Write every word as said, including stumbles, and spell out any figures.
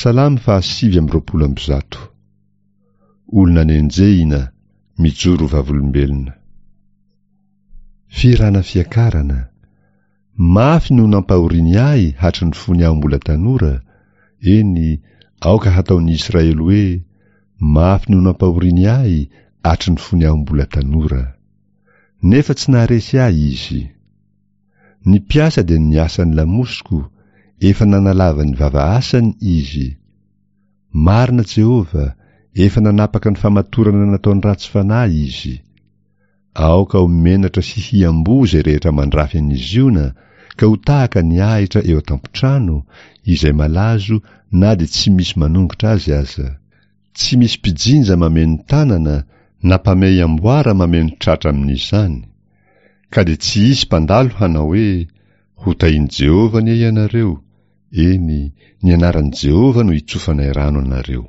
Salamo fahasivy amby roapolo amby zato. Olona nenjehina, mijoro vavolombelona. Fihirana fiakarana. Mafy no nampahoriany ahy hatry ny fony aho mbola tanora, eny, aoka hataon'ny Israely hoe, mafy no nampahoriany ahy hatry ny fony aho mbola tanora. Nefa tsy naharesy ahy izy. Ny mpiasa dia niasa ny lamosiko, efa nanalava ny vava asany izy. Marina Jehovah, efa nanapaka ny famatorana nataony ratsy fanahy izy. Aoka ho menatra sy hiamboho izay rehetra mandrafy an'i Ziona, ka ho tahaka ny ahitra eo an-tampon-trano, izay malazo na dia tsy misy manongotra azy aza. Tsy misy mpijinja mameno tanana na mpamehy amboara mameno tratra amin'izany. Ka dia tsy hisy mpandalo hanao hoe, ho tahian'i Jehovah anie ianareo, eny, ny anaran'i Jehovah no hitsofanay rano anareo.